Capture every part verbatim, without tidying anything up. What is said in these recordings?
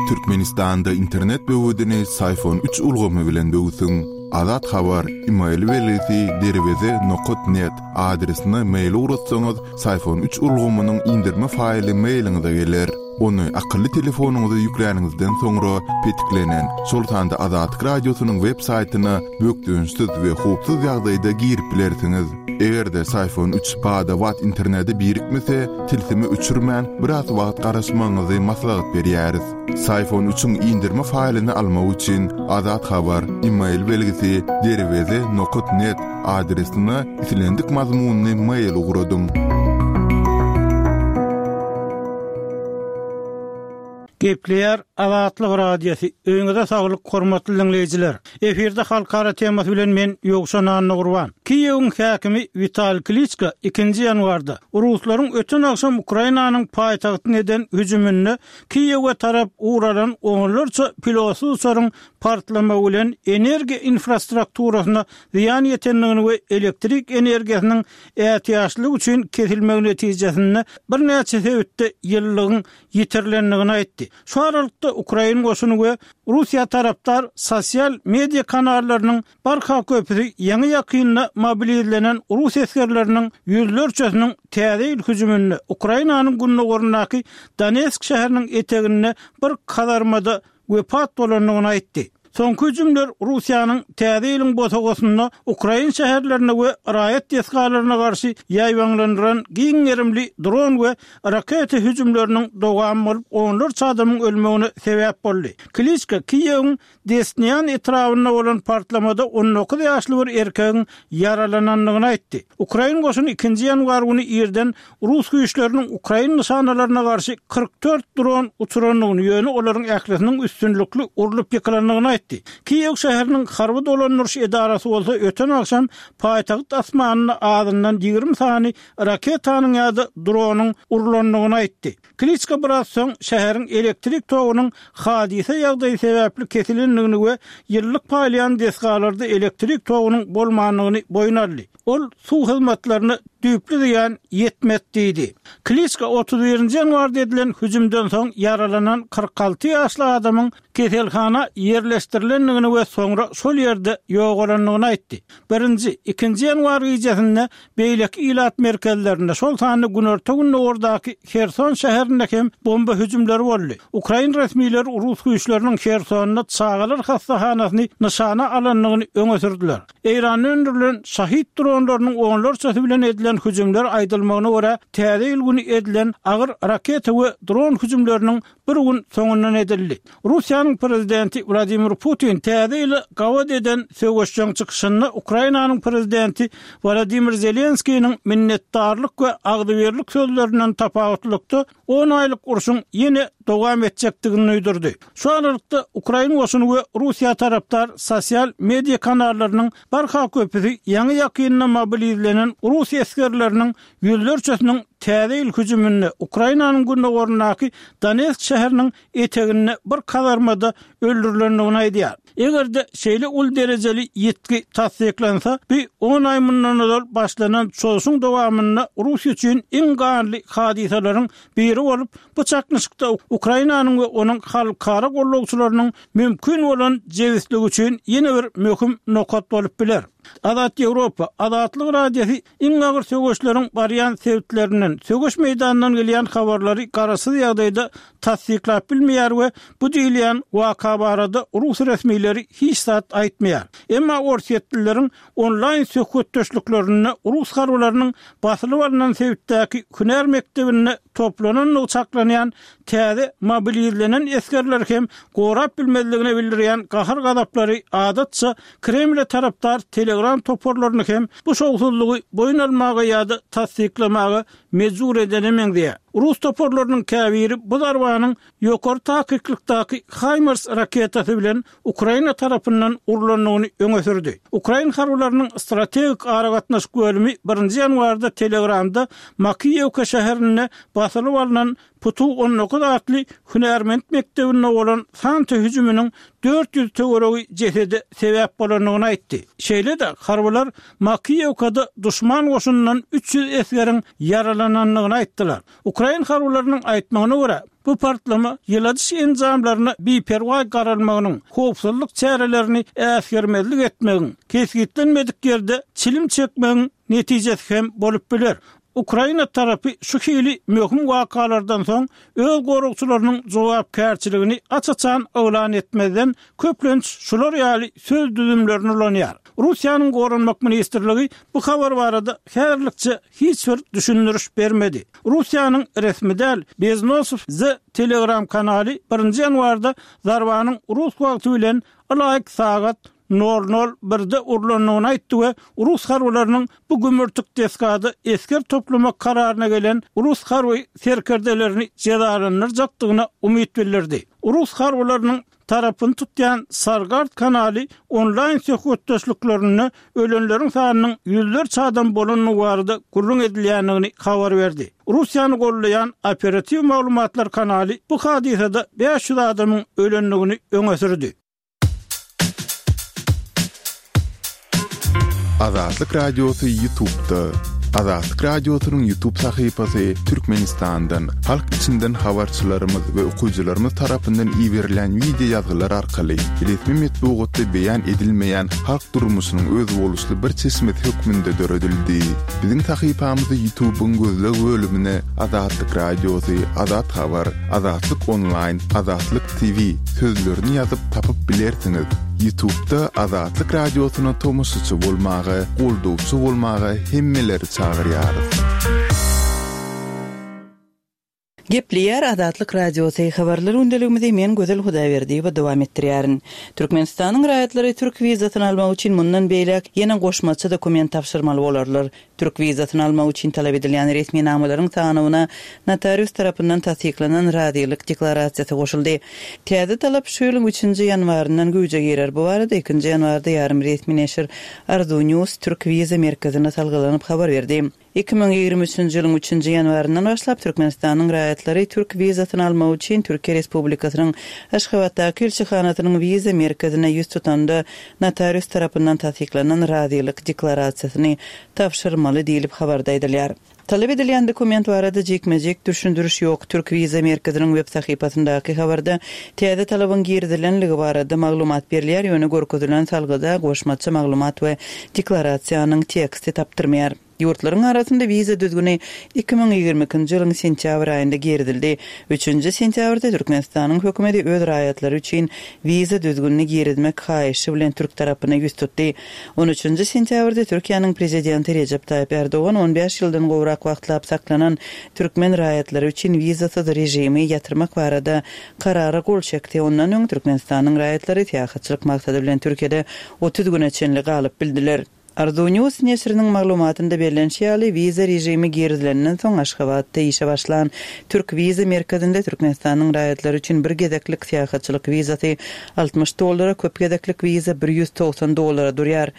Türkmenistanda internet böwedini Syfon üç ulgamy bilen böwsüň. Azat Habar, email belgisi derweze nokat net adresine mail ugratsaňyz, Syfon üç ulgamynyň indirme faýly mailiňize geler. Ony akylly telefonyňyza ýükläniňizden soňra petiklenen, şol sanda Azatlyk Radiosynyň web saýtyna bökdençsiz we howpsuz ýagdaýda girip bilersiňiz. Eger-de Syfon üç bada-bat internete birikmese, tilsimi öçürmän biraz wagt garaşmagyňyzy maslahat berýäris. Syfon üçiň indirme faýlyny almak üçin Azat Habar, email belgisi derweze nokat net adresine islendik mazmunly mail ugradyň. Gepleýär Azatlyk Radiosy. Öýüňize saglyk, hormatly dinleýjiler. Efirde halkara temasy bilen men Ýowşan Annagurban. Kiýewiň häkimi Wital Kliçka ikinji ýanwarda Ruslaryň öten agşam Ukrainanyň paýtagtyna eden hüjüminde Kiýewe tarap ugralan onlarça pilotsyz uçaryň partlamagy bilen energiýa infrastrukturasyna zyýan ýetendigini we elektrik energiýasynyň ätiýaçlygy üçin kesilmegi netijesinde birnäçe sebitde ýyllygyň ýitirilendigini aýtdy. Şu aralykda Ukrain goşuny we Russiýa tarapdar sosial media kanallarynyň barha köpüsi ýaňy ýakynda mobilizlenen Rus esgerleriniň ýüzlerçesiniň täze ýyl hüjüminde Ukrainanyň gündogaryndaky Donetsk şäheriniň eteginde bir kazarmada wepat bolandygyny aýtdy. Soňky hüjümler Russiýanyň täze ýylyň bosagasynda Ukrain şäherlerine we raýat desgalaryna garşy ýaýbaňlandyran giň gerimli dron we raketa hüjümleriniň dowamy bolup, onlarça adamyň ölmegine sebäp boldy. Kliçka Kiýewiň Desnian etrabynda bolan partlamada on dokuz ýaşly bir erkegiň ýaralanandygyny aýtdy. Ukrain goşuny ikinji ýanwar güni irden Rus güýçleriniň Ukrain nyşanalaryna garşy kyrk dört dron uçurandygyny, ýöne olaryň ählisiniň üstünlikli urlup ýykylandygyny aýtdy. Kiýew şäheriniň harby dolandyryş edarasy bolsa öten agşam paýtagt asmanynda azyndan ýigrimi sany raketanyň ýa-da dronyň urlandygyny aýtdy. Kliçka biraz soň şäheriň elektrik togunyň hadysa ýagdaýy sebäpli kesilendigini we ýyllyk paýlaýan desgalarda elektrik togunyň bolmandygyny boýun aldy. Ol suw hyzmatlaryna düýpli zyýan ýetmedi diýdi. Kliçka otuz birinji ýanwarda edilen hüjümden soň ýaralanan kyrk alty ýaşly adamyň keselhana ýerleşdirilendigini we soňra şol ýerde ýogalandygyny aýtdy. Birinji, ikinji ýanwar gijesinde beýleki ilat merkezlerinde, şol sanda günorta-gündogardaky Herson şäherinde hem bomba hüjümleri boldy. Ukrain resmileri Rus güýçleriniň Hersonda çagalar hassahanasyny nyşana alandygyny öňe sürdüler. Eýranda öndürilen Şahid dronlarynyň onlarçasy bilen edilen hüjümler aýdylmagyna görä täze ýyl güni edilen agyr raketa we dron hüjümleriniň bir gün soňundan edildi. Russiýanyň prezidenti Wladimir Putin täze ýyly gabat eden söweşjeň çykyşynda Ukrainanyň prezidenti Wladimir Zelenskiniň minnetdarlyk we agzybirlik sözlerinden tapawutlykda on aýlyk urşuň ýene dowam etjekdigini duýdurdy. Şu aralykda Ukrain goşuny we Russiýa tarapdar sosial media kanallarynyň barha köpüsi ýaňy ýakynda mobilizlenen Rus esgerleriniň ýüzlerçesiniň täze ýyl hüjüminde Ukrainanyň gündogaryndaky Donetsk şäheriniň eteginde bir kazarmada öldürilendigini aýdýar. Eger-de şeýle uly derejeli ýitgi tassyklansa, bu on aý mundan ozal başlanan çozuşyň dowamynda Russiýa üçin iň ganly hadysalaryň biri bolup, bu çaknyşykda Ukrainanyň we onuň halkara gollagçylarynyň mümkin bolan jebisligi üçin ýene bir möhüm nokat bolup biler. Azat Ýewropa, Azatlyk Radiosy iň agyr söweşleriň barýan sebitlerinden, söweş meýdanyndan gelýän habarlary garaşsyz ýagdaýda tassyklap bilmeýär we bu diýilýän waka barada rus resmileri hiç zat aýtmaýar. Emma orsýetlileriň onlaýn söhbetdeşliklerinde rus harbylarynyň basylyp alnan sebitdäki hünär mekdebinde toplanandygy çaklanýan täze mobilizlenen esgerleri hem gorap bilmezligine bildirýän gahar-gazaplary adatça Kremle tarapdar Telegram toparlaryny hem bu şowsuzlygy boýun almaga ýa-da tassyklamaga mejbur edene meňzeýär. Rus toparlarynyň käbiri bu zarbanyň ýokary takyklykdaky HIMARS raketasy bilen Ukraina tarapyndan urlandygyny öňe sürdi. Ukrain harbylarynyň strategik aragatnaşyk bölümi birinji ýanwarda Telegramda Makiýewka şäherinde basylyp alnan Putu on dokuz atly hünärment mekdebinde bolan Santa hüjüminiň dört ýüz töweregi jesede sebäp bolandygyny aýtdy. Şeýle-de harbylar Makiýewkada duşman goşunyndan üç ýüz esgeriň ýaralanandygyny aýtdylar. Ukrain harbylarynyň aýtmagyna görä, bu partlama ýyladyş enjamlaryna biperwaý garalmagynyň, howpsuzlyk çärelerini äsgermezlik etmegiň, kesgitlenmedik ýerde çilim çekmegiň netijesi hem bolup biler. Ukraina tarapy şu hili möhüm wakalardan soň öz goragçylarynyň jogapkärçiligini aç-açan yglan etmezden köplenç şular ýaly söz düzümlerini ulanýar. Russiýanyň Goranmak ministrligi bu habar barada häzirlikçe hiç bir düşündiriş bermedi. Russiýanyň resmi däl Beznosow The Telegram kanaly birinji ýanwarda zarbanyň rus wagty bilen ylaýyk sagat nol nol birde urlandygyny aýtdy we rus harbylarynyň bu gümürtik desgada esger toplamak kararyna gelen rus harby serkerdelerini jezalandyrjakdygyna umyt bildirdi. Rus harbylarynyň tarapyny tutýan Sargard kanaly onlaýn söhbetdeşliklerinde ölenleriň sanynyň ýüzlerçe adam bolandygy barada gürrüň edilýändigini habar berdi. Russiýany gollaýan operatiw maglumatlar kanaly bu hadysada bäş ýüz adamyň ölendigini öňe sürdi. Azatlyk Radiosy YouTube'da. Azatlyk Radiosynyň YouTube sahypasy Türkmenistandan, halk içinden habarçylarymyz we okyjylarymyz tarapyndan iberilen video ýazgylar arkaly resmi metbugatda beýan edilmeýän halk durmuşynyň özboluşly bir çeşmesi hökmünde döredildi. Biziň sahypamyzy YouTube'yň gözleg bölümine Azatlyk Radiosy, Azat Habar, Azatlyk Online, Azatlyk T V sözlerini ýazyp tapyp bilersiňiz. YouTube'da Azatlyk Radiosyna tomaşaçy bolmaga, goldawçy bolmaga hemmeleri çagyrýarys. Gepleýär Azatlyk Radiosy habarlar gündeligimizi men Gözel Hudaýberdiýewa dowam etdirýärin. Türkmenistanyň raýatlary türk wizasyny almak üçin mundan beýläk ýene goşmaça dokument tabşyrmaly bolarlar. Türk wizasyny almak üçin talap edilýän resminamalaryň sanyna notarius tarapyndan tassyklanan razylyk deklarasiýasy goşuldy. Täze talap şu ýylyň üçünji ýanwaryndan güýje girer. Bu barada ikinji ýanwarda ýarym resmi neşir Arzu News Türk wiza merkezine salgylanyp habar berdi. Iki müň ýigrimi üçünji ýylyň üçünji ýanwaryndan başlap Türkmenistanyň raýatlary türk wizasyny almak üçin Türkiýe Respublikasynyň Aşgabatdaky ilçihanasynyň wiza merkezine ýüz tutanda notarius tarapyndan tassyklanan razylyk deklarasiýasyny tabşyrmaly diýilip habarda aýdylýar. Talap edilýän dokument barada jikme-jik düşündiriş ýok. Türk wiza merkeziniň web sahypasyndaky habarda täze talabyň girizilenligi barada maglumat berilýär, ýöne görkezilen salgyda goşmaça maglumat we deklarasiýanyň teksti tapdyrmaýar. Ýurtlaryň arasynda wiza düzgüni iki müň ýigrimi ikinji ýylyň sentýabr aýynda girizildi. Üçünji sentýabrda Türkmenistanyň hökümeti öz raýatlary üçin wiza düzgünini girizmek haýyşy bilen türk tarapyna ýüz tutdy. On üçünji sentýabrda Türkiýäniň prezidenti Recep Tayyip Erdogan on bäş ýyldan gowrak wagtlap saklanan türkmen raýatlary üçin wizasyz režimi ýatyrmak barada karara gol çekdi. Ondan öň Türkmenistanyň raýatlary syýahatçylyk maksady bilen Türkiýede otuz güne çenli galyp bildiler. Arzu News neşiriniň maglumatynda bellenişi ýaly, wiza režimi girizilenden soň Aşgabatda işe başlan Türk wiza merkezinde Türkmenistanyň raýatlary üçin bir gezeklik syýahatçylyk wizasy altmyş dollara, köp gezeklik wiza bir ýüz togsan dollara durýar.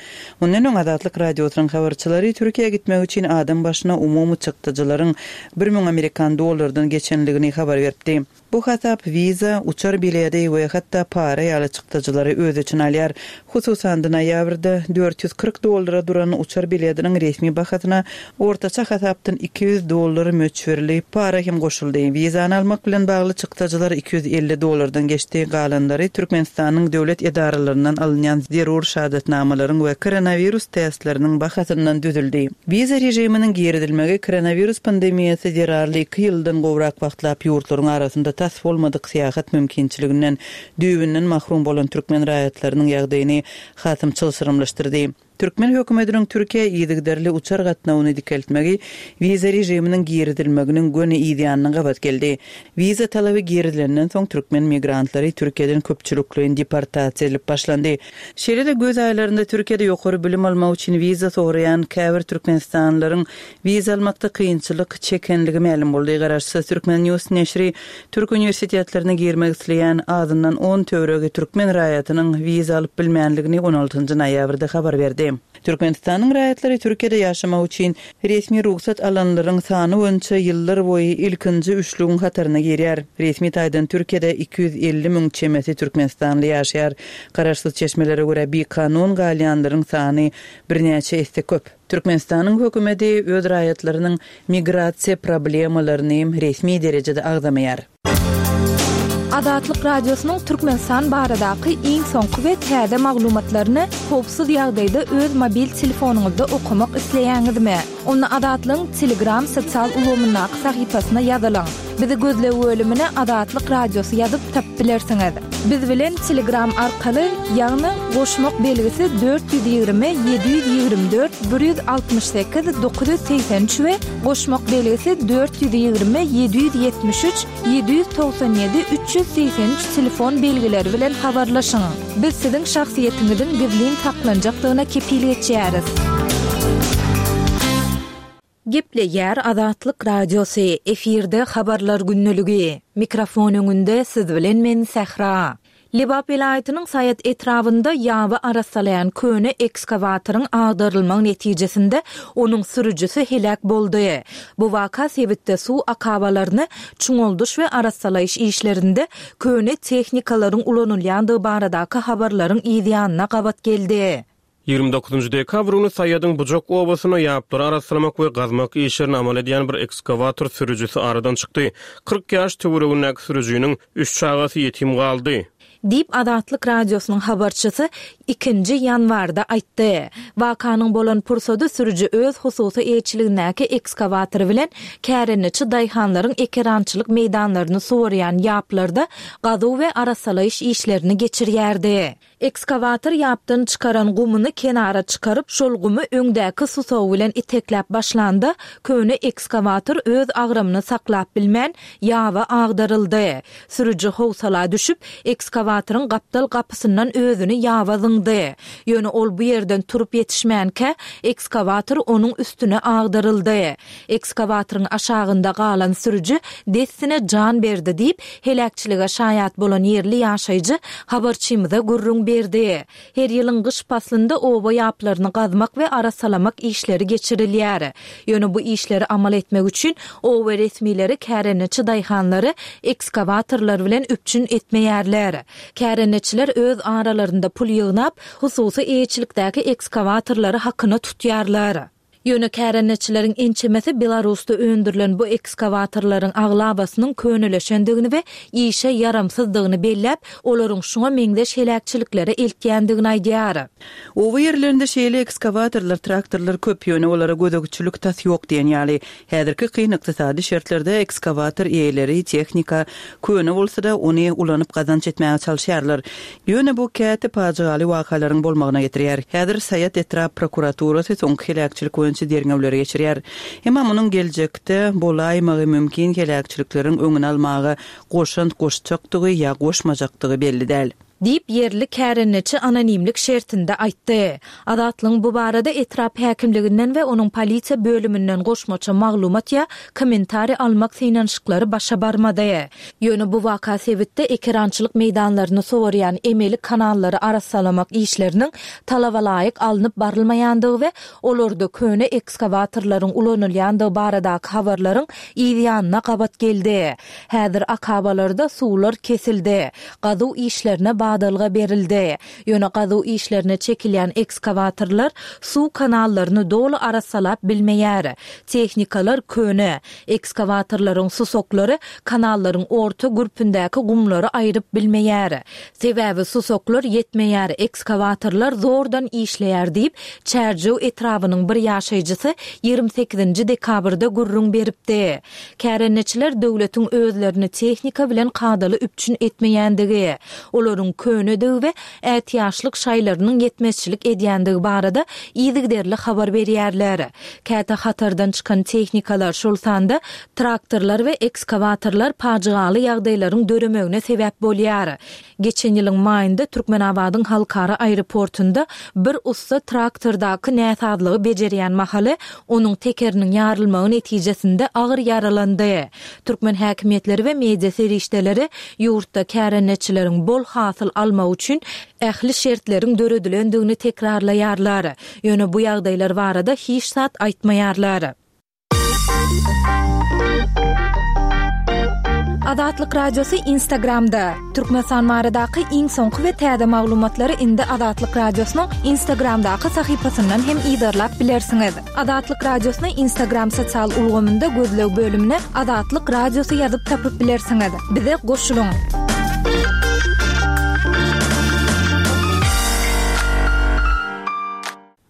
Mundan öň Azatlyk Radiosynyň habarçylary Türkiýä gitmek üçin adam başyna umumy çykdyjylaryň bir müň amerikan dollardan geçenligini habar beripdi. Bu hasap wiza, uçar biledi we hatda para ýaly çykdyjylary öz içine alýar. Hususan noýabrda dört ýüz kyrk dollara duran uçar bilediniň resmi bahasyna ortaça hasapdan iki ýüz dollar möçberli para hem goşuldy. Wizany almak bilen bagly çykdyjylar iki ýüz elli dollardan geçdi. Galanlary Türkmenistanyň döwlet edaralaryndan alynýan zerur şahadatnamalaryň we koronawirus testleriniň bahasyndan düzüldi. Wiza režiminiň girizilmegi koronawirus pandemiýasy zerarly iki ýyldan gowrak wagtlap ýurtlaryň arasynda tas bolmadyk syýahat mümkinçiliginden düýbünden mahrum bolan türkmen raýatlarynyň ýagdaýyny hasam çylşyrymlaşdyrdy. Türkmen hökümetiniň Türkiýe yzygiderli uçar gatnawyny dikeltmegi wiza režiminiň girizilmeginiň göni ýanyna gabat geldi. Wiza talaby girizilenden soň türkmen migrantlary Türkiýeden köpçülikleýin deportasiýa edilip başlandy. Şeýle-de göz aýlarynda Türkiýede ýokary bilim almak üçin wiza soraýan käbir türkmenistanlylaryň wiza almakda kynçylyk çekenligi mälim boldy. Garaşsyz Türkmen News neşiri Türk uniwersitetlerine girmek isleýän azyndan on töweregi türkmen raýatynyň wiza alyp bilmänligini on altynjy noýabrda habar berdi. Türkmenistanyň raýatlary Türkiýede ýaşamak üçin resmi rugsat alanlaryň sany boýunça ýyllar boýy ilkinji üçlügiň hataryna girýär. Resmi taýdan Türkiýede iki ýüz elli müň çemesi türkmenistanly ýaşaýar. Garaşsyz çeşmelere görä bikanun galýanlaryň sany birnäçe esse köp. Türkmenistanyň hökümeti öz raýatlarynyň migrasiýa problemalaryny resmi derejede agzamaýar. Azatlyk Radiosynyň Türkmenistan baradaky iň soňky we täze maglumatlaryny howpsuz ýagdaýda öz mobil telefonyňyzda okamak isleýäňizmi? Onda Azatlygyň Telegram sosial ulgamyndaky sahypasyna ýazylyň. Bizi gözleg bölümine Azatlyk Radiosy ýazyp tapyp bilersiňiz. Biz bilen Telegram arkaly, ýagny goşmak belgisi dört ýüz ýigrimi ýedi ýüz ýigrimi dört bir ýüz altmyş sekiz dokuz ýüz segsen üç we goşmak belgisi dört ýüz ýigrimi ýedi ýüz ýetmiş üç ýedi ýüz togsan ýedi üç ýüz segsen üç telefon belgileri bilen habarlaşyň. Biz siziň şahsyýetiňiziň gizlin saklanjakdygyna kepil geçýäris. Gepleýär Azatlyk Radiosy, efirde habarlar gündeligi. Mikrofon öňünde siz bilen men Sähra. Lebap welaýatynyň Saýat etrabynda ýaby arassalaýan köne ekskawatoryň agdarylmagy netijesinde onuň sürüjisi heläk boldy. Bu waka sebitde suw akabalaryny çuňaldyş we arassalaýyş işlerinde köne tehnikalaryň ulanylýandygy baradaky habarlaryň yz ýanyna gabat geldi. Ýigrimi dokuzynjy dekabr güni Saýadyň Bujak obasyna ýaplary arassalamak we gazmak işlerini amal edýän bir ekskawator sürüjisi aradan çykdy. Kyrk ýaş töweregindäki sürüjiniň üç çagasy ýetim galdy. Diýip Azatlyk Radiosynyň habarçysy ikinji ýanwarda aýtdy. Wakanyň bolan pursady sürüji öz hususy eýeçiligindäki ekskawatory bilen kärendeçi daýhanlaryň ekerançylyk meýdanlaryny suwarýan ýaplarda gazuw we arassalaýyş işlerini geçirýärdi. Ekskawator ýapdan çykaran gumuny kenara çykaryp, şol gumy öňdäki susagy bilen itekläp başlanda, köne ekskawator öz agramyny saklap bilmän, ýaba agdaryldy. Sürüji howsala düşüp, ekskawatoryň gapdal gapysyndan özüni ýaba zyňdy. Ýöne ol bu ýerden turup ýetişmänkä, ekskawator onuň üstüne agdaryldy. Ekskawatoryň aşagynda galan sürüji dessine jan berdi diýip, heläkçilige şaýat bolan ýerli ýaşaýjy habarçymyza gürrüň berdi. Her ýylyň gyş paslynda oba ýaplaryny gazmak we arassalamak işleri geçirilýär. Ýöne bu işleri amal etmek üçin oba resmileri kärendeçi daýhanlary ekskawatorlar bilen üpjün etmeýärler. Kärendeçiler öz aralarynda pul ýygnap, hususy eýeçilikdäki ekskawatorlary hakyna tutýarlar. Ýöne kärendeçileriň ençemesi Belarusda öndürilen bu ekskawatorlaryň aglabasynyň köneleşendigini we işe ýaramsyzdygyny belläp, olaryň şuňa meňzeş heläkçiliklere eltýändigini aýdýar. Oba ýerlerinde şeýle ekskawatorlar, traktorlar köp, ýöne olara gözegçilik tas ýok diýen ýaly. Häzirki kyn ykdysady şertlerde ekskawator eýeleri tehnika köne bolsa-da ony ulanyp gazanç etmäge çalyşýarlar. Ýöne bu käte pajygaly wakalaryň bolmagyna getirýär. Häzir Saýat etrap prokuraturasy soňky heläkçilik boýunça derňewleri geçirýär. Emma munuň geljekde bolaýmagy mümkin heläkçilikleriň öňüni almaga goşant goşjakdygy ýa goşmajakdygy belli däl. Diýip ýerli kärendeçi anonimlik şertinde aýtdy. Azatlygyň bu barada etrap häkimliginden we onuň polisiýa bölüminden goşmaça maglumat ýa kommentariý almak synanyşyklary başa barmady. Ýöne bu waka sebitde ekerançylyk meýdanlaryny suwarýan emeli kanallary arassalamak işleriniň talaba laýyk alnyp barylmaýandygy we olarda köne ekskawatorlaryň ulanylýandygy baradaky habarlaryň yz ýanyna gabat geldi. Häzir akabalarda suwlar kesildi. Gazuw işlerine badalga berildi. Ýöne gazuw işlerine çekilýän ekskawatorlar suw kanallaryny doly arassalap bilmeýär. Tehnikalar köne. Ekskawatorlaryň susaklary kanallaryň orta gürpündäki gumlary aýryp bilmeýär. Sebäbi susaklar ýetmeýär, ekskawatorlar zordan işleýär diýip, Çärjew etrabynyň bir ýaşaýjysy ýigrimi sekizinji dekabrda gürrüň beripdi. Kärendeçiler döwletiň özlerini tehnika bilen kadaly üpjün etmeýändigi, olaryň könedigi we ätiýaçlyk şaýlarynyň ýetmezçilik edýändigi barada yzygiderli habar berýärler. Käte hatardan çykan tehnikalar, şol sanda traktorlar we ekskawatorlar pajygaly ýagdaýlaryň döremegine sebäp bolýar. Geçen ýylyň maýynda Türkmenabadyň halkara aeroportunda bir ussa traktordaky näsazlygy bejerýän mahaly onuň tekeriniň ýarylmagy netijesinde agyr ýaralandy. Türkmen häkimiýetleri we media serişdeleri ýurtda kärendeçileriň bol hasyl hasyl almak üçin ähli şertleriň döredilendigini tekrarlaýarlar. Ýöne bu ýagdaýlar barada hiç zat aýtmaýarlar. Azatlyk Radiosy Instagramda. Türkmenistan baradaky iň soňky we täze maglumatlary indi Azatlyk Radiosynyň Instagramdaky sahypasyndan hem yzarlap bilersiňiz. Azatlyk Radiosyny Instagram sosial ulgamynda gözleg bölümine Azatlyk Radiosy ýazyp tapyp bilersiňiz. Bize goşulyň.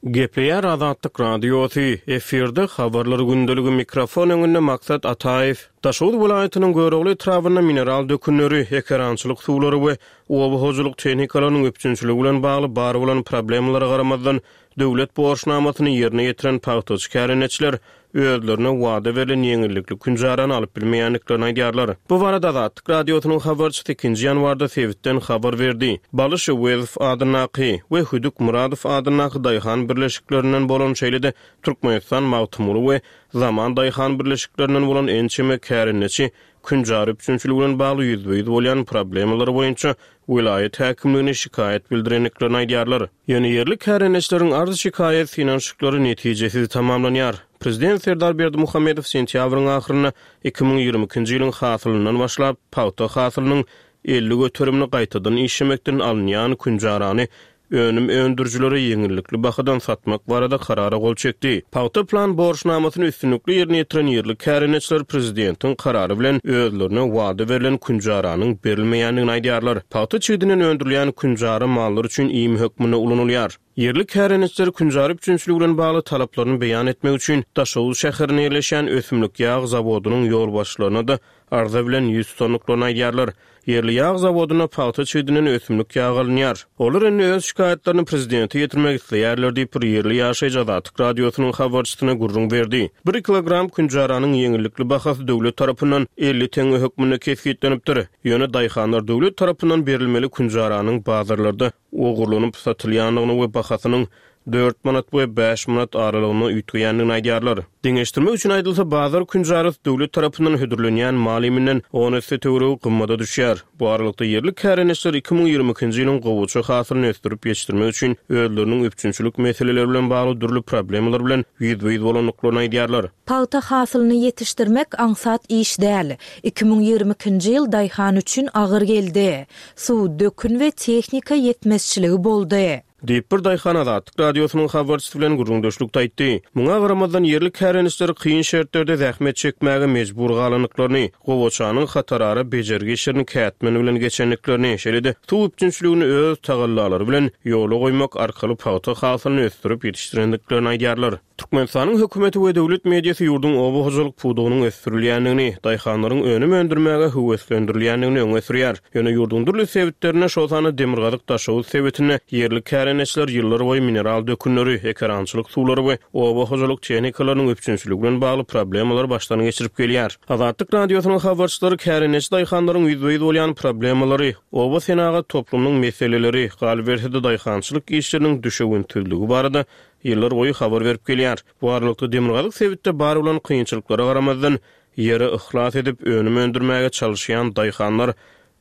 Gepleýär Azatlyk Radiosy, efirde habarlar gündeligi mikrofon öňünde Maksat Ataýew. Daşoguz welaýatynyň Görogly etrabynda mineral dökünleri, ekerançylyk suwlary we oba hojalyk tehnikalarynyň üpjünçiligi bilen bagly bar bolan problemalara garamazdan döwlet borçnamasyny ýerine ýetiren pagtaçy kärendeçiler özlerine wada berlen ýeňillikli künjarany alyp bilmeýändiklerini aýdýarlar. Bu barada Azatlyk Radiosynyň habarçysy ikinji ýanwarda sebitden habar berdi. Balyş Öwezow adyndaky we Hüdük Muradow adyndaky daýhan birleşiklerinden bolan, şeýle-de Türkmenistan Magtymguly we Zaman daýhan birleşiklerinden bolan ençeme kärendeçi künjar üpjünçiligi bilen bagly ýüzbe-ýüz bolýan problemalar boýunça welaýat häkimligine şikaýat bildirendiklerini aýdýarlar. Ýöne ýerli kärendeçileriň arz şikaýat synanyşyklary netijesiz tamamlanýar. Prezident Serdar Berdimuhamedow sentýabryň ahyrynda iki müň ýigrimi ikinji ýylyň hasylyndan başlap pagta hasylynyň elli göterimini gaýtadan işlemekden alynýan künjarany önüm öndürijilere ýeňillikli bahadan satmak barada karara gol çekdi. Pagta plan borçnamasyny üstünlikli ýerine ýetiren ýerli kärendeçiler prezidentiň karary bilen özlerine wada berlen künjaranyň berilmeýändigini aýdýarlar. Pagta çigidinden öndürilýän künjara mallar üçin iým hökmünde ulanylýar. Ýerli kärendeçiler künjara üpjünçiligi bilen bagly talaplaryny beýan etmek üçin Daşoguz şäherinde ýerleşýän ösümlik ýag zawodynyň ýolbaşçylaryna-da arza bilen ýüz tutandyklaryny aýdýarlar. Ýerli ýag zawodynda pagta çigidinden ösümlik ýagy alynýar. Olar indi öz şikaýatlaryny prezidente ýetirmek isleýärler diýip, bir ýerli ýaşaýjy Azatlyk Radiosynyň habarçysyna gürrüň berdi. Bir kilogram künjaranyň ýeňillikli bahasy döwlet tarapyndan elli teňňe hökmünde kesgitlenipdir. Ýöne daýhanlar döwlet tarapyndan berilmeli künjaranyň bazarlarda ogurlanyp satylýandygyny we bahasynyň dört manat we bäş manat aralygynda üýtgeýändigini aýdýarlar. Deňeşdirmek üçin aýdylsa, bazar künjarasy döwlet tarapyndan hödürlenýän maliminden on esse töweregi gymmada düşýär. Bu aralykda ýerli kärendeçiler iki müň ýigrimi ikinji ýylyň gowaça hasylyny ösdürip ýetişdirmek üçin özleriniň üpjünçilik meseleleri bilen bagly dürli problemalar bilen ýüzbe-ýüz bolandyklaryny aýdýarlar. Pagta hasylyny ýetişdirmek aňsat iş däl. Iki müň ýigrimi ikinji ýyl daýhan üçin agyr geldi. Suw, dökün we tehnika ýetmezçiligi boldy. Diýip bir daýhan Azatlyk Radiosynyň habarçysy bilen gürrüňdeşlikde aýtdy. Muňa garamazdan ýerli kärendeçiler kyn şertlerde zähmet çekmäge mejbur galandyklaryny, gowaçanyň hatarara bejergi işlerini kätmen bilen geçendiklerini, şeýle-de suw üpjünçiligini öz tagallalary bilen ýola goýmak arkaly pagta hasylyny ösdürip ýetişdirendiklerini aýdýarlar. Türkmenistanyň hökümeti we döwlet mediasy ýurduň oba hojalyk pudagynyň ösdürilýändigini, daýhanlaryň önüm öndürmäge höweslendirilýändigini öňe sürýär. Ýöne ýurduň dürli sebitlerinde, şol sanda Demirgazyk Daşoguz sebitinde ýerli kärendeçiler ýyllar boýy mineral dökünleri, ekerançylyk suwlary we oba hojalyk tehnikalarynyň üpjünçiligi bilen bagly problemalar başdan geçirip gelýär. Azatlyk Radiosynyň habarçylary kärendeçi daýhanlaryň ýüzbe-ýüz bolýan problemalary, oba senagat toplumynyň meseleleri, galyberse-de daýhançylyk işleriniň düşewüntsizligi barada ýyllar boýy habar berip gelýär. Bu aralykda Demirgazyk sebitde bar bolan kynçylyklara garamazdan ýere yhlas edip önüm öndürmäge çalışýan daýhanlar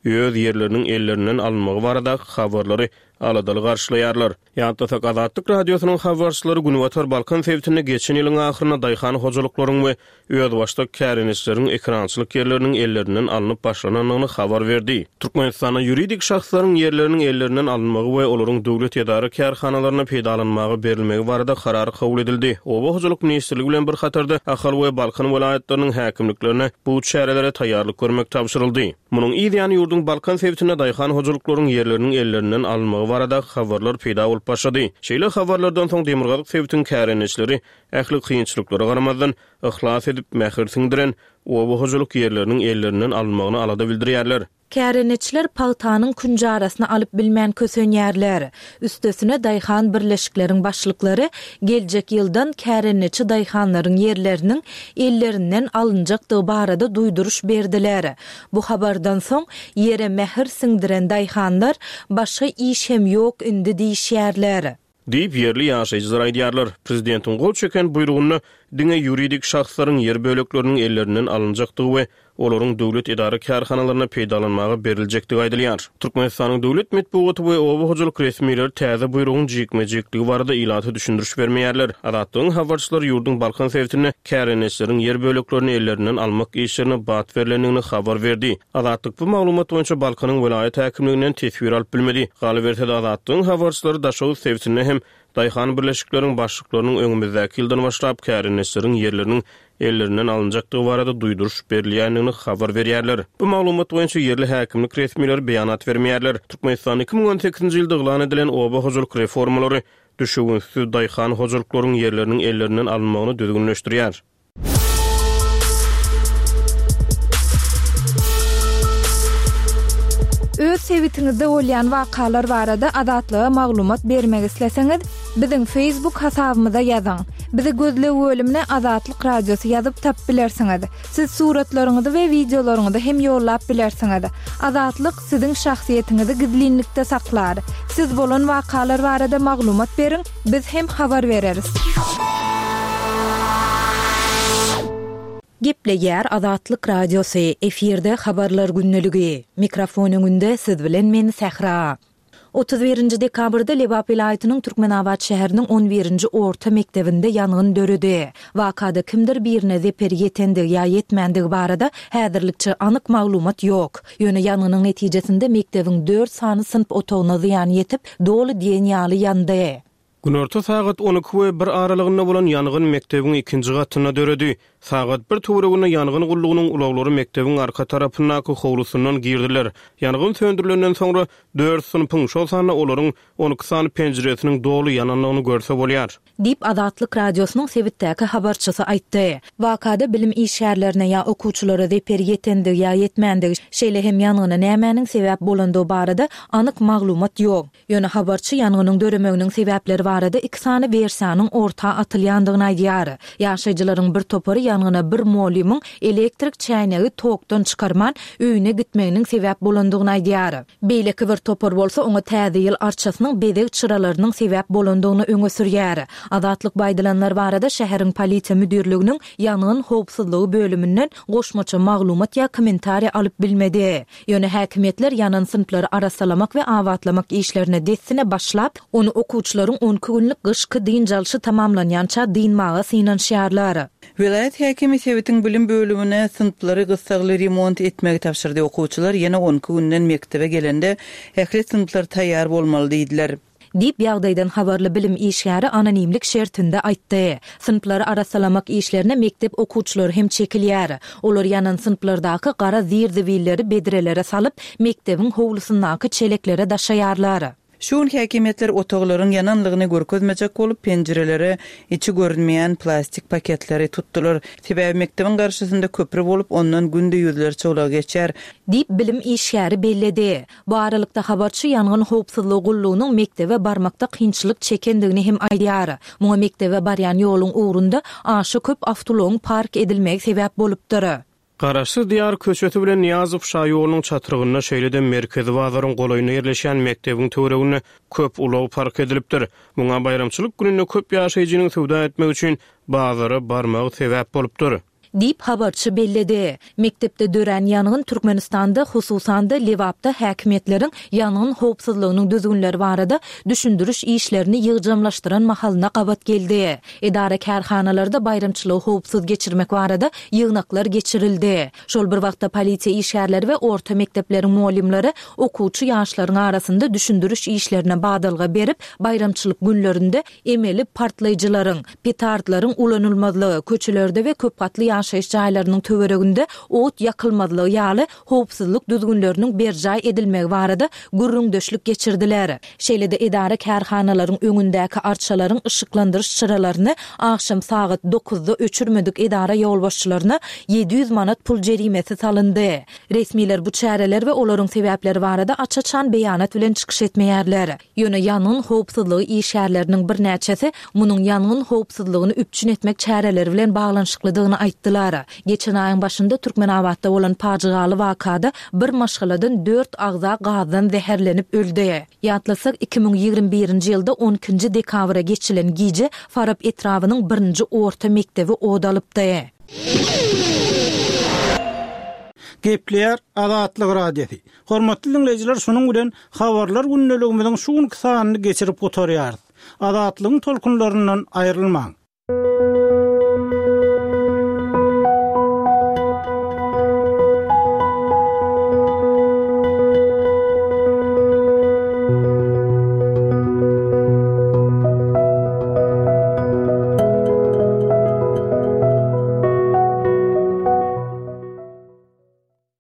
öz ýerleriniň ellerinden alynmagy baradaky habarlary aladaly garşylaýarlar. Ýatlasak, Azatlyk Radiosynyň habarçylary Günbatar Balkan sebitinde geçen ýylyň ahyrynda daýhan hojalyklaryň we özbaşdak kärendeçileriň ekerançylyk ýerleriniň ellerinden alnyp başlanandygyny habar berdi. Türkmenistanda ýuridik şahslaryň ýerleriniň ellerinden alynmagy we olaryň döwlet edara kärhanalaryna peýdalanmaga berilmegi barada karar kabul edildi. Oba hojalyk ministrligi bilen bir hatarda Ahal we Balkan welaýatlarynyň häkimliklerine bu çärelere taýýarlyk görmek tabşyryldy. Munuň yz ýany ýurduň Balkan sebitinde daýhan hojalyklaryň ýerleriniň ellerinden alynmagy barada habarlar peýda bolup başlady. Şeýle habarlardan soň Demirgazyk sebitiň kärendeçileri ähli kynçylyklara garamazdan yhlas edip mähir siňdiren oba hojalyk ýerleriniň ellerinden alynmagyny alada bildirýärler. Kärendeçiler pagtanyň künjarasyny alyp bilmän kösenýärler. Üstesine daýhan birleşikleriň başlyklary geljek ýyldan kärendeçi daýhanlaryň ýerleriniň ellerinden alynjakdygy barada duýduryş berdiler. Bu habardan soň ýere mähir siňdiren daýhanlar başga iş hem ýok indi diýişýärler. Diýip ýerli ýaşaýjylar aýdýarlar. Prezidentiň gol çeken buýrugynda diňe ýuridik şahslaryň ýer bölekleriniň ellerinden alynjakdygy we olaryň döwlet edara-kärhanalarynda peýdalanmaga beriljekdigi aýdylýar. Türkmenistanyň döwlet metbugaty we oba hojalyk resmileri täze buýrugyň jikme-jikligi barada ilata düşündiriş bermeýärler. Azatlygyň habarçylary ýurduň Balkan sebitinde kärendeçileriň ýer böleklerini ellerinden almak işlerine bat berlendigini habar berdi. Azatlyk bu maglumat boýunça Balkanyň welaýat häkimliginden teswir alyp bilmedi. Galyberse-de, Azatlygyň habarçylary Daşoguz sebitinde hem daýhan birleşikleriň başlyklarynyň öňümizdäki ýyldan başlap kärendeçileriň ýerleriniň ellerinden alynjakdygy barada duýduryş berilýändigini habar berýärler. Bu maglumat boýunça ýerli häkimlik resmileri beýanat bermeýärler. Türkmenistanda iki müň on sekizinji ýylda yglan edilen oba hojalyk reformalary düşewüntsiz daýhan hojalyklaryň ýerleriniň ellerinden alynmagyny düzgünleşdirýär. Öz sebitiňizde bolýan wakalar barada Azatlyga maglumat bermek isleseňiz, biziň Facebook hasabymyza ýazyň. Bizi gözleg bölümine Azatlyk Radiosy ýazyp tapyp bilersiňiz. Siz suratlaryňyzy we wideolaryňyzy hem ýollap bilersiňiz. Azatlyk siziň şahsyýetiňizi gizlinlikde saklar. Siz bolan wakalar barada maglumat beriň, biz hem habar bereris. Gepleýär Azatlyk Radiosy, efirde habarlar gündeligi. Mikrofon öňünde siz bilen men Sähra. Otuz birinji dekabrda Lebap welaýatynyň Türkmenabat şäheriniň on birinji orta mekdebinde ýangyn döredi. Wakada kimdir birine zeper ýetendigi ýa ýetmändigi barada häzirlikçe anyk maglumat ýok. Ýöne ýangynyň netijesinde mekdebiň dört sany synp otagyna zyýan ýetip, doly diýen ýaly ýandy. Günorta sagat on iki we bir aralygynda bolan ýangyn mekdebiň ikinji gatynda döredi. Sagat bir töwereginde ýangyn gullugynyň ulaglary mekdebiň arka tarapyndaky howlusyndan girdiler. Ýangyn söndürilenden soňra dört synpyň, şol sanda olaryň on iki sany penjiresiniň doly ýanandygyny görse bolýar. Diýip Azatlyk Radiosynyň sebitdäki habarçysy aýtdy. Wakada bilim işgärlerine ýa okuwçylara zeper ýetendigi ýa ýetmändigi, şeýle hem ýangyna nämäniň sebäp bolandygy barada anyk maglumat ýok. Ýöne habarçy ýangynyň döremeginiň sebäpleri barada iki sany wersiýanyň orta atylýandygyny aýdýar. Ýaşaýjylaryň bir topary ýangyna bir mugallymyň elektrik çäýnegi tokdan çykarman öýüne gitmeginiň sebäp bolandygyny aýdýar. Beýleki bir topar bolsa oňa täze ýyl arçasynyň bezeg çyralarynyň sebäp bolandygyny öňe sürýär. Azatlyk baýdylanlar barada şäheriň polisiýa müdirliginiň ýangyn howpsuzlygy bölüminden goşmaça maglumat ýa kommentariýa alyp bilmedi. Ýöne häkimiýetler ýanan synplary arassalamak we abatlamak işlerine dessine başlap, ony okuwçylaryň on iki günlük gyşky dynç alşy tamamlanýança dynmaga synanyşýarlar. Welaýat häkimi sebitiň bilim bölümine synplary gyssagly remont etmegi tabşyrdy. Okuwçylar ýene on iki günden mekdebe gelende ähli synplar taýýar bolmaly diýdiler. Diýip ýagdaýdan habarly bilim işgäri anonimlik şertinde aýtdy. Synplary arassalamak işlerine mekdep okuwçylary hem çekilýär. Olar ýanan synplardaky gara zir-zibilleri bedrelere salyp, mekdebiň howlusyndaky çeleklere daşaýarlar. Şu gün häkimiýetler otaglaryň ýananlygyny görkezmejek bolup, penjirelere içi görünmeýän plastik paketleri tutdular. Sebäbi mekdebiň garşysynda köpri bolup, ondan günde ýüzlerçe ulag geçýär. Diýip bilim işgäri belledi. Bu aralykda habarçy ýangyn howpsuzlygy gullugynyň mekdebe barmakda kynçylyk çekendigini hem aýdýar. Muňa mekdebe barýan ýoluň ugrunda aşa köp awtoulagyň park edilmegi sebäp bolupdyr. Garaşsyz Diýar köçesi bilen Nyýazow şaýolunyň çatrygynda şeýle-de merkezi bazaryň golaýynda ýerleşen mekdebiň töwereginde köp ulag park edilipdir. Muňa baýramçylyk gününde köp ýaşaýjynyň söwda etmek üçin bazara barmagy sebäp bolupdyr. Diýip habarçy belledi. Mekdepde dörän ýangyn Türkmenistanda, hususan-da Lebapda häkimiýetleriň ýangyn howpsuzlygynyň düzgünleri barada düşündiriş işlerini ýygjamlaşdyran mahalyna gabat geldi. Edara kärhanalarda baýramçylygy howpsuz geçirmek barada ýygnaklar geçirildi. Şol bir wagtda polisiýa işgärleri we orta mekdepleriň mugallymlary okuwçy ýaşlaryň arasynda düşündiriş işlerine badalga berip, baýramçylyk günlerinde emeli partlaýjylaryň, petardlaryň ulanylmazlygy, köçelerde we köp gatly ýaşaýyş jaýlarynyň töwereginde ot ýakylmazlygy ýaly howpsuzlyk düzgünleriniň berjaý edilmegi barada gürrüňdeşlik geçirdiler. Şeýle-de edara kärhanalaryň öňündäki arçalaryň yşyklandyryş çyralaryny agşam sagat dokuzda öçürmedik edara ýolbaşçylaryna ýedi ýüz manat pul jerimesi salyndy. Resmiler bu çäreler we olaryň sebäpleri barada aç-açan beýanat bilen çykyş etmeýärler. Ýöne ýangyn howpsuzlygy işgärleriniň birnäçesi munuň ýangyn howpsuzlygyny üpjün etmek çäreleri bilen baglanyşyklydygyny aýtdylar. Geçen aýyň başynda Türkmenabatda bolan pajygaly wakada bir maşgaladan dört agza gazdan zäherlenip öldi. Ýatlasak, iki müň ýigrimi birinji ýylda on ikinji dekabra geçilen gije Farap etrabynyň birinji orta mekdebi od alypdy. Gepleýär Azatlyk Radiosy. Hormatly diňleýjiler, şunuň bilen Habarlar gündeligimiziň şu günki sanyny geçirip gutarýarys. Azatlygyň tolkunlaryndan aýrylmaň.